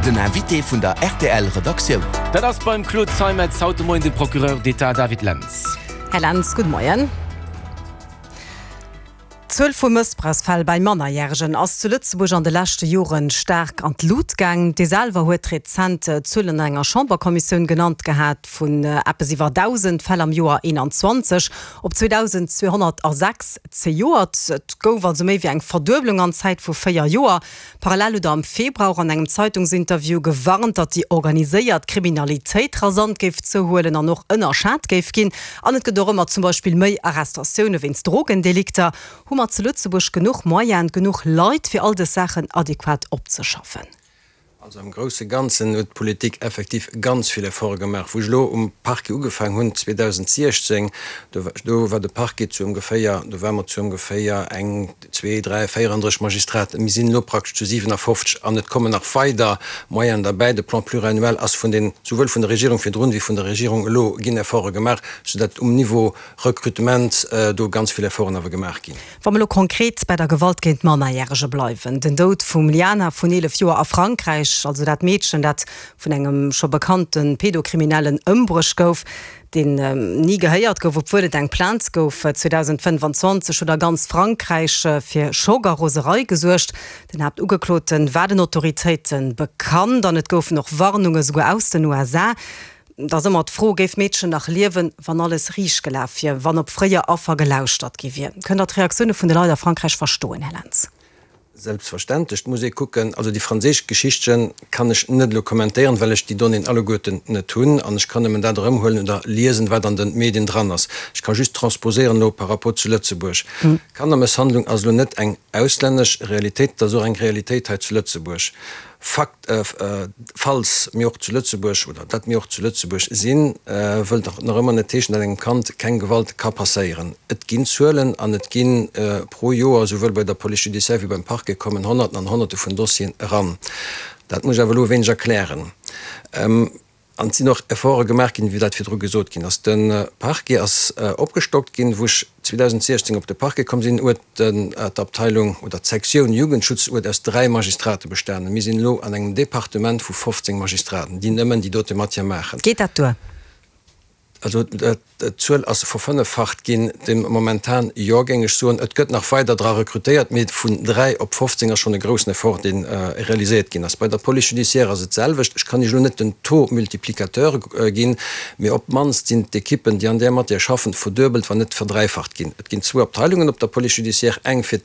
Den Invité vun der rtl Redaktioun. Dat ass beim Claude Zeimetz haut de Moien de Procureur d'État David Lentz. Här Lentz, gudde Moien. D'Zuel vu Mëssbrauchsfäll bei Mannerjäregen ass zu Lëtzebuerg an de leschte Jore staark an d'Lut gaang. Dir selwer huet rezent Zuelen an enger Chamberkommissioun genannt gehat, vun eppes iwwer 1.000 Fäll am Joer 21 op 2.206 zejoert. Et gouf also méi wéi eng Verdueblung an Zäit vu 4 Joer. Parallel huet Der am Februar och an engem Zeitungsinterview gewarnt, datt déi organiséiert Kriminalitéit rasant géif zouhuelen an och ënnerschat géif ginn. An et gëtt och ëmmer zum Beispill méi Arrestatioune wéinst Drogendelikter. Hu mer zu Lëtzebuerg genuch Moyenen, genuch Leit, fir all dës Saachen adequat opzeschaffen? Also am grousse Ganzen huet d'Politik effektiv ganz vill Efforte gemaach. Wou ech elo um Parquet ugefaangen hunn 2016, do do war de Parquet zu ongeféier, do ware mer zu ongeféier eng, zwee, dräi, 34 Magistraten. Mir sinn elo praktesch zu 57 an et kommen nach weider Moyenen derbäi. De Plan pluriannuel ass vun den, souwuel vun der Regierung virdrun wéi vun der Regierung elo ginn Efforte gemaach, soudatt um Niveau Recrutement do ganz vill Efforten awer gemaach ginn. Wa mer elo konkret bei der Gewalt géint Mannerjärege bleiwen, den Doud vum Liana vun 11 Joer a Frankräich, also dat Meedchen, dat vun engem scho bekannte Pedokriminellen ëmbruecht gouf, deen ni gehéiert gouf, obwuel et eng Plainte gouf 2025, huet a ganz Frankräich fir Schock a Roserei gesuergt. Den Haaptugeklote war den Autoritéite bekannt an et goufen och Warnunge souguer aus den USA. Et ass ëmmer d'Fro, Géif d'Meedchen nach liewen, wann alles riicht gelaf wier, wann op fréier Affer gelauschtert gi wier? Kënnt Der d'Reaktioune vun de Leit a Frankräich verstoen, Här Lentz? Selbstverständlech, et muss ee kucken. Also déi franséisch Geschichtche kann ech net elo kommentéieren, well ech déi Donnéeën alleguerten net hunn an ech kann nëmmen dat erëmhuelen oder liesen, wat an de Medien dran ass. Ech ka just transposéieren elo par rapport zu Lëtzebuerg. Kannermësshandlung ass elo net eng auslännesch Realitéit, et ass och eng Realitéit hei zu Lëtzebuerg. Fakt, Falls mir och zu Lëtzebuerg, oder datt mir och zu Lëtzebuerg sinn, wëllt och nach ëmmer net heeschen, datt engem Kand keng Gewalt ka passéieren. Et ginn Zuelen an et gi pro Joer, souwuel bei der Police judiciaire wéi beim Parquet, kommen Honnerten an Honnerte vun Dossieren eran. Dat muss ech awer elo e wéineg erklären. An et sinn och Efforte gemaach ginn, wéi dat virdru gesot ginn ass. De Parquet ass opgestockt ginn. Wou ech 2016 op de Parquet komm sinn, huet d'Abteilung oder d'Sektioun Jugendschutz huet aus dräi Magistrate bestanen. Mir sinn elo an engem Departement vu 15 Magistraten, déi nëmmen déi dote Matière maachen. Geet dat duer? Also d'Zuel ass verfënneffacht ginn de momentan, jo, géing ech soen. Et gëtt nach weider dra rekrutéiert, mee vun 3 op 15 ass schonn e groussen Effort, dee realiséiert ginn ass. Bei der Police judiciaire ass et d'selwecht. Ech kann Iech elo net den Taux multiplicateur ginn, mee op d'mannst sinn d'Ekippen, déi an där Matière schaffen, verduebelt, wann net verdräifacht ginn. Et ginn zwou Abteilungen op der Police judiciaire, eng fir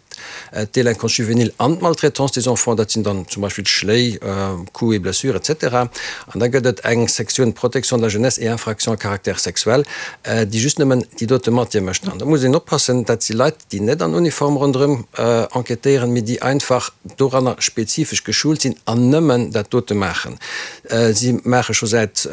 D'Délinquance juvénile an d'Maltraitance des enfants, dat sinn dann zum Beispill Schléi, Coups et blessures, etc. An da gëtt et eng Sektioun Protection de la jeunesse et infractions à caractère sexuel, déi just nëmmen déi dote Matière mécht. An da muss een oppassen, dat si Leit, déi net an Uniform ronderëm enquêtéieren, mee déi einfach doranner spezifesch geschult sinn an nëmmen dat dote maachen. Si maache scho säit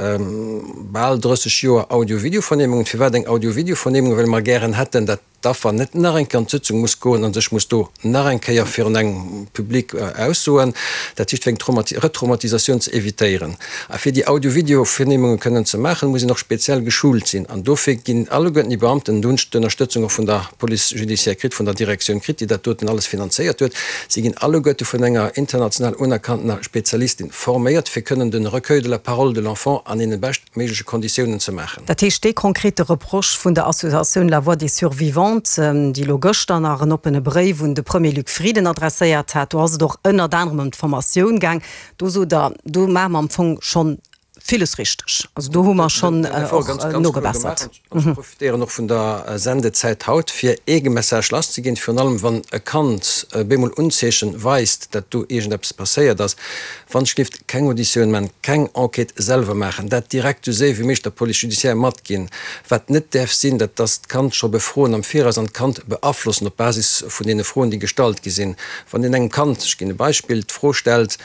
bal 30 Joer Audio-Video-Vernehmungen. Firwat eng Audio-Video-Vernehmung? Well mer gären hätten, dat d'Affer net nach eng Kéier an d'Sëtzung muss goen a sech muss do nach eng Kéier virun engem Public aussoen, dat heescht fir eng Retraumatisatioun ze evitéieren. A fir déi Audio-Video-Vernehmunge kënnen ze maachen, muss een och speziell geschult sinn. An dofir ginn alleguerten déi Beamten, do hunn ech d'Ënnerstëtzung och vun der Police judiciaire kritt, vun der Direktioun kritt, déi dat doten alles finanzéiert huet, si ginn alleguerte vun enger international unerkanntener Spezialistin forméiert, fir kënnen de Recueil de la parole de l'enfant an deene bescht méigleche Konditiounen ze maachen. Dat heescht, dee konkrete Reproche vun der Associatioun La Voix des Survivantes, déi elo gëschter nach en oppene Bréif un de Premier Luc Frieden adresséiert hat, do ass et och ënnert anerem ëm d'Formatioun gaang, do sot Der, do maache mer am Fong schonn villes richteg, also do hu mer schonn och nogebessert. An ech profitéieren och vun der Sendezäit haut, fir ee Message lasszeginn, virun allem wann e Kand bemol Unzeechen weist, dat do iergendeppes passéiert ass, wann ech géif keng Auditioun man, keng Enquête selwer maachen, dat direkt esou séier wéi méiglech der Police judiciaire matginn. Wat net däerf sinn, dat ass d'Kand scho befroen am Viraus an d'Kand beaflossen op Basis vun deene Froen, déi gestallt gi sinn. Wann een engem Kand, ech ginn e Beispill, d'Fro stellt,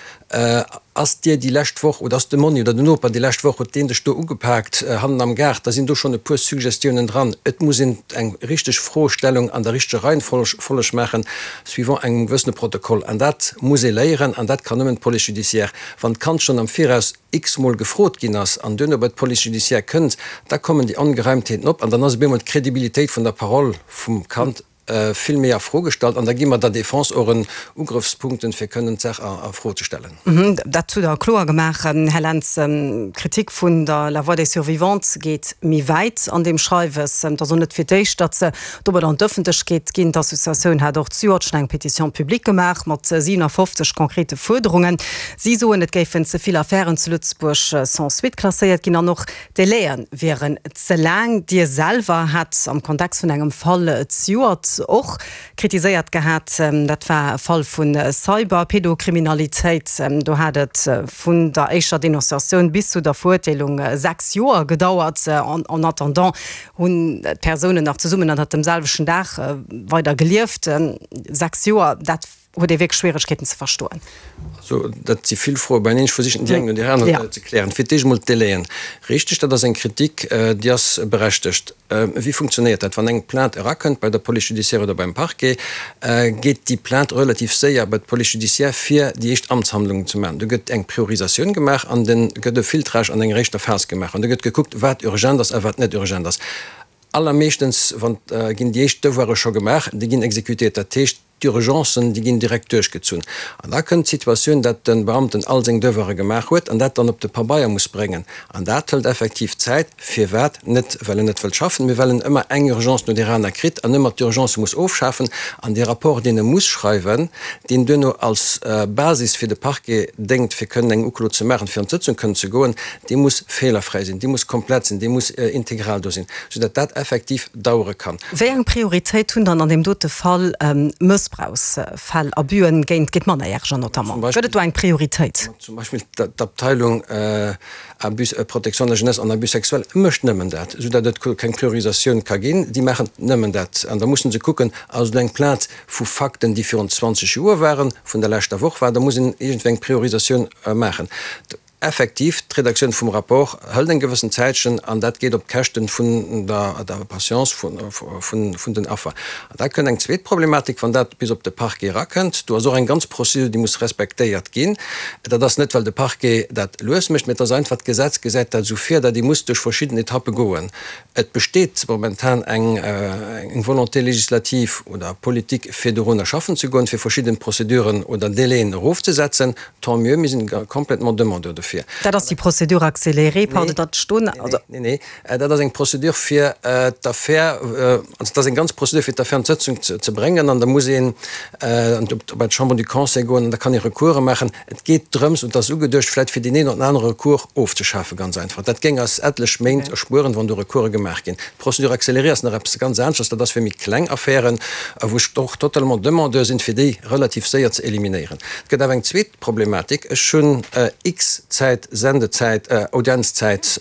Ass dir déi lescht Woch, oder ass de Monni oder den Noper déi lescht Woch, huet deen dech do ugepaakt hannen am Gaart, da sinn do schonn e puer Suggestiounen dran. Et muss een eng richteg Froestellung an der richteger Reihenfolleg maachen, suivant engem gewëssene Protokoll. An dat muss ee léieren an dat kann nëmmen d'Police judiciaire. Wann d'Kand schonn am Viraus x-mol gefrot ginn ass an duerno bei d'Police judiciaire kënnt, da kommen déi Ongereimtheeten op an dann ass op eemol d'Credibilitéit vun der Parole vum Kand. vill méi a Fro gestallt an da gi mer der Défense och en Ugrëffspunkten, fir kënnen d'Saach a Fro ze stellen. Dat hutt Der kloer gemaach, Här Lentz. D'Kritik vun der La Voix des Survivantes geet méi wäit an deem Schreiwes. Et ass och net fir d'éischt, datt se domadder an d'Ëffentlechkeet ginn. D'Associatioun hat och zejoert schonn eng Pétition publique gemaach mat 57 konkrete Fuerderungen. Si soen, et géifen ze vill Affären zu Lëtzebuerg sans suite klasséiert ginn an och d'Délaië wieren ze laang. Dir selwer hat am Kontext vun engem Fall zejoert och kritiséiert gehat. Dat war e Fall vu Cyber-Pedokriminalitéit. Do hat et vun der éischter Denonciatioun bis zu der Verurteelung 6 Joer gedauert. En attendant hunn d'Persounen nach zesummen ënnert dem selwechten Daach weider gelieft. 6 Joer, dat huet ee wierklech Schwieregkeeten ze verstoen. Also, dat si vill Froe beineen. Ech versichen déi eng no där aner ze klären. Fir d'éischt emol d'Délaien. Richteg, dat ass eng Kritik, déi ass berechtegt. Wéi funktionéiert dat? Wann eng Plainte erakënnt bei der Police judiciaire oder beim Parquet, geet déi Plainte relativ séier bei d'Police judiciaire, fir déi éischt Amtshandlungen ze maachen. Do gëtt eng Priorisatioun gemaach an de gëtt e Filtrage an enger éischter Phas gemaach an do gëtt gekuckt, wat urgent ass a wat net urgent ass. Allermeeschtens wann ginn déi éischt Devoire scho gemaach, déi ginn exécutéiert. Dat heescht, D'Urgencen, déi ginn direkt duerchgezunn. An da kënnt d'Situatioun, dat de Beamten all seng Devoire gemaach huet an dat dann op de Pabeier muss bréngen. An dat hëlt effektiv Zäit. Firwat? Net well en net wëllt schaffen, mee well en ëmmer eng Urgence no där aner kritt an ëmmer d'Urgencë muss ofschafen. An dee Rapport, deen e muss schreiwen, deen duerno als Basis fir de Parquet déngt, fir kënnen eng Uklo ze maachen, fir an d'Sëtzung kënnen ze goen, dee muss feelerfräi sinn, dee muss komplett sinn, dee muss integral do sinn, soudatt dat effektiv dauere kann. Wéi eng Prioritéit hunn dann an deem dote Fall Mëssbrauchsfäll, Abüen géint géint Mannerjäreger notamment? Gëtt et do eng Prioritéit? Zum Beispill d'Abteilung Abus, Protection de la jeunesse en abus sexuel mécht nëmmen dat, soudatt et keng Priorisatioun ka ginn. Déi maachen nëmmen dat. An da musse se kucken, ass et eng Plainte vu Fakten, déi virun 20 Joer waren, vun der leschter Woch war, da muss een iergendwéi eng Priorisatioun maachen. Effektiv, d'Redaktioun vum Rapport hëlt eng gewëssen Zäitchen an dat geet op d'Käschten vun der Patience vun den Affer. An da kënnt eng zweet Problematik, wann dat bis op de Parquet erakënnt. Do ass och eng ganz Procédure, déi muss respektéiert ginn. Dat ass net, well de Parquet dat lues mécht, mä et ass einfach, d'Gesetz gesäit dat esou vir, datt ee muss duerch verschidden Etappe goen. Et besteet momentan eng Volonté législative oder politique, fir dorunner schaffen ze goen, fir verschidden Prozeduren oder Délaiën erofzesetzen. Tant mieux, mir sinn complètement demandeur dofir. Dat ass déi Procédure accélérée, pardon, datt ech do. Nee, nee, dat ass eng Procédure fir d'Affär, also dat ass eng ganz Procédure fir d'Affär an d'Sëtzung ze bréngen an da muss een bei d'Chambre du Conseil goen an da kann ee Recourse maachen. Et geet drëms, und dat ass ugeduecht vläicht fir deen een oder anere Recours ofzeschafen, ganz einfach. Dat géing eis etlech Méint erspueren, wann do Recourse gemaach ginn. D'Procédure accélérée ass nach eppes ganz aneschters, dat ass fir méi kleng Affären, wou ech och totalement demandeur sinn, fir déi relativ séier ze eliminéieren. Et gëtt awer eng zweet Problematik, Ech hunn x Zäit Sendezäit, Audienzzäit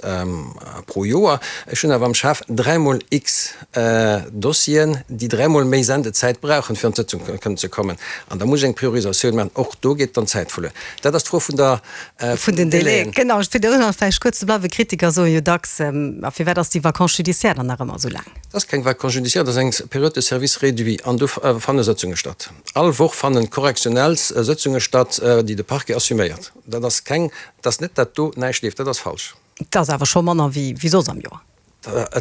pro Joer, ech hunn awer am Schaf dräimol x Dossieren, déi dräimol méi Sendezäit brauchen, fir an d'Sëtzung kënnen ze kommen. An da muss ech eng Priorisatioun maachen. Och do geet dann Zäit verluer. Dat ass d'Fro vun der, vun den Délaiën. Genau, fir do nach vläicht kuerz ze bleiwen, Kritiker soe jo dacks, A firwat ass déi Vacance judiciaire dann nach ëmmer esou laang? Dat ass keng Vacance judiciaire, dat ass eng Période de service réduit an do fanne Sëtzunge statt. All Woch fannen correctionnels Sëtzunge statt, déi de Parquet assuméiert. Dat ass keng, dat ass net, dat do näischt leeft, dat ass falsch. Dat ass awer scho manner wéi soss am Joer.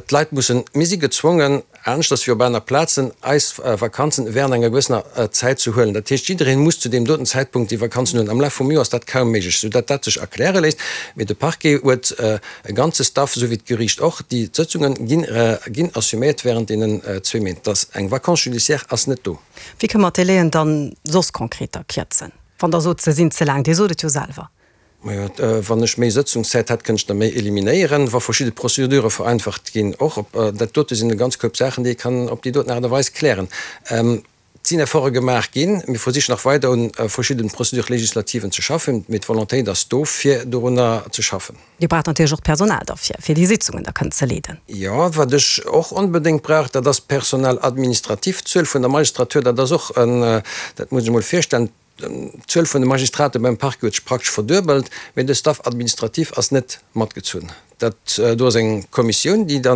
D'Leit mussen, mir si gezwongen, aneschters wéi op aner Plazen, eis Vakanzen während enger gewëssener Zäit ze huelen. Dat heescht, jiddereen muss zu deem doten Zäitpunkt déi Vakanzen huelen. Am Laf vum Joer ass dat kaum méiglech, soudatt dat sech erkläre léisst. Mee de Parquet huet e ganze Staff, esou wéi d'Geriicht och. Déi Sëtzunge ginn, ginn assuméiert während deenen zwee Méint. Dass eng Vacance judiciaire ass net do. Wéi kënne mer d'Délaiën dann soss konkreter kierzen, wann Der sot, se sinn ze laang? Dir sot et jo selwer. Majo, wann ech méi Sëtzungszäit hätt, kënnt ech der méi eliminéieren, wa verschidde Procédurë vereinfacht ginn och. Op dat dote sinn e ganz Koup Saachen, déi ee kann op déi doten Aart a Weis klären. Et sinn Efforte gemaach ginn. Mir versichen nach weider un verschidden Procédures législativen ze schaffen, mee d'Volontéit ass do, fir dorunner ze schaffen. Dir braucht natierlech och d'Personal derfir, fir déi Sitzungen da kënnen ze leeden. Jo, wat ech och onbedéngt brauch, dat ass Personnel administratif. D'Zuel vun der Magistratur, dat ass och en, dat muss ech emol virstellen, D'Zuel vun de Magistrate beim Parquet huet sech praktesch verduebelt, mee de Staff administratif ass net matgezunn. Dat do ass eng Kommissioun, déi da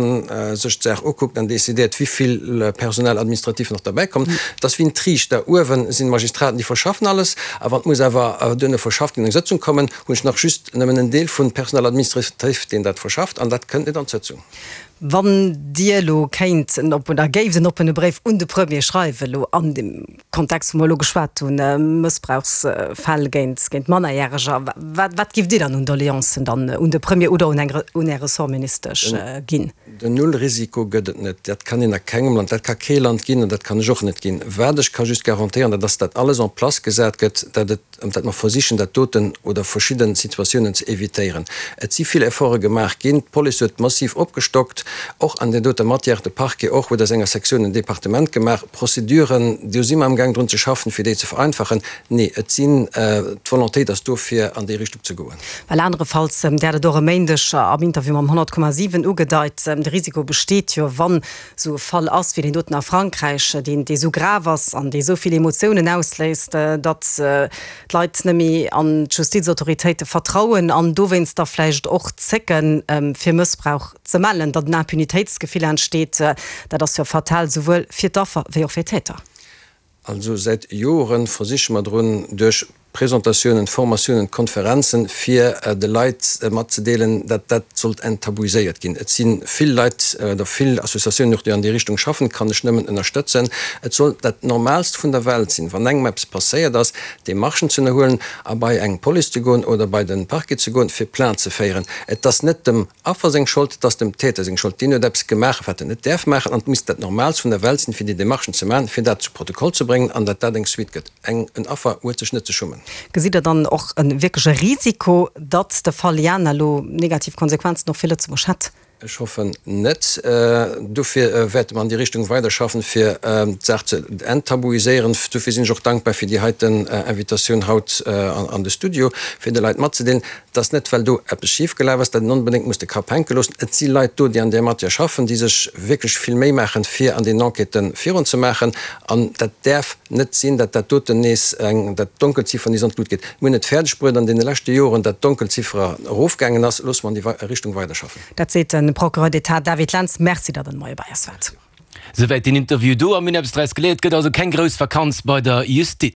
sech d'Saach ukuckt an decidéiert, wéi vill Personnel administratif nach derbäi kommt. Et ass wéi en Triichter, Uewe sinn d'Magistraten, déi verschaffen alles, a wann et muss awer duerno verschafft ginn, an eng Sëtzung kommen, hunn ech nach just nëmmen en Deel vun Personnel administratif, deen dat verschafft, an dat kënnt net an d'Sëtzung. Wann Dir elo kéint en oppen, oder géift en oppene Bréif un de Premier schreiwen, elo an deem Kontext, wou mer elo geschwat hunn, Mëssbrauchsfäll géint, géint Mannerjäreger, wat, wat géift Dir dann un Doleancen dann un de Premier oder un eng, un Är Ressortministesch ginn? Den Nullrisiko gëtt et net. Dat kann een a kengem Land, dat ka kee Land ginn an dat kann ech och net ginn. Wat ech ka just garantéieren, dat ass, datt alles en place gesat gëtt, datt et, datt mer versichen, dat doten oder verschidde Situatiounen ze évitéieren. Et si vill Efforte gemaach ginn. D'Police huet massiv opgestockt, och an där doter Matière, de Parquet och huet aus enger Sektioun en Departement gemaach. Prozeduren, do si mer amgaang drun ze schaffen, fir déi ze vereinfachen. Nee, et sinn, d'Volontéit ass do, fir an déi Richtung ze goen. Well anerefalls, Dir hat et och e Méindeg am Interview mam 100,7 ugedeit, de Risiko besteet jo, wann esou e Fall ass wéi deen doten a Frankräich, deen dee sou grav ass an dee sou vill Emotiounen ausléist, datt d'Leit net méi an d'Justizautoritéite vertrauen an dowéinst da vläicht och zécken, fir Mëssbrauch ze mellen, datt en Impunitéitsgefill entsteet. Dat ass jo fatal, souwuel fir d'Affer wéi och fir d'Täter. Also säit Joren versiche mer drun, duerch Presentatiounen, Formatiounen, Konferenzen, fir de Leit matzedeelen, datt dat sollt enttabuiséiert ginn. Et si vill Leit oder vill Associatiounen och, déi an déi Richtung schaffen, kann ech nëmmen ënnerstëtzen. Et soll dat Normaalst vun der Welt sinn, wann engem eppes passéiert ass, Demarchen ze ënnerhuelen a bei eng Police ze goen oder bei de Parquet ze goen, fir Plainte ze féieren. Et ass net dem Affer seng Schold, et ass dem Täter seng Schold. Deen huet eppes gemaach, wat en net däerf maachen, an et misst dat Normaalst vun der Welt sinn, fir déi Demarchen ze maachen, fir dat zu Protokoll ze bréngen an datt dat eng Suite gëtt. Eng, en Affer huet sech net ze schummen. Gesitt Der dann och e wierkleche Risiko, datt de Fall Liana elo negativ Konsequenzen och fir Lëtzebuerg hätt? Ech hoffen net. Dofir wäerte mer an déi Richtung weiderschaffen, fir d'Saach ze enttabuiséieren. Dofir sinn ech och dankbar fir déi heiten Invitatioun haut an de Studio, fir de Leit matzedeelen, dass net, well do eppes schifgelaf ass, dat een onbedéngt muss de Kapp hänke loossen. Et si Leit do, déi an där Matière schaffen, déi sech wierklech vill Méi maachen, fir an deenen Enquêtë virunzemaachen. An dat däerf net sinn, datt dat doten nees eng, dat d'Donkelziffer nees an d'Lut geet. Mir hunn et fäerdeg bruet an deene leschte Joren, datt d'Donkelziffer erofgaangen ass. Loosse mer an déi Richtung weiderschaffen. Dat seet de Procureur d'État David Lentz. Merci, datt Der de Moie bei eis waart. Souwäit deen Interview do. A mir hunn eppes draus geléiert, Et gëtt also keng grouss Vakanz bei der Justiz.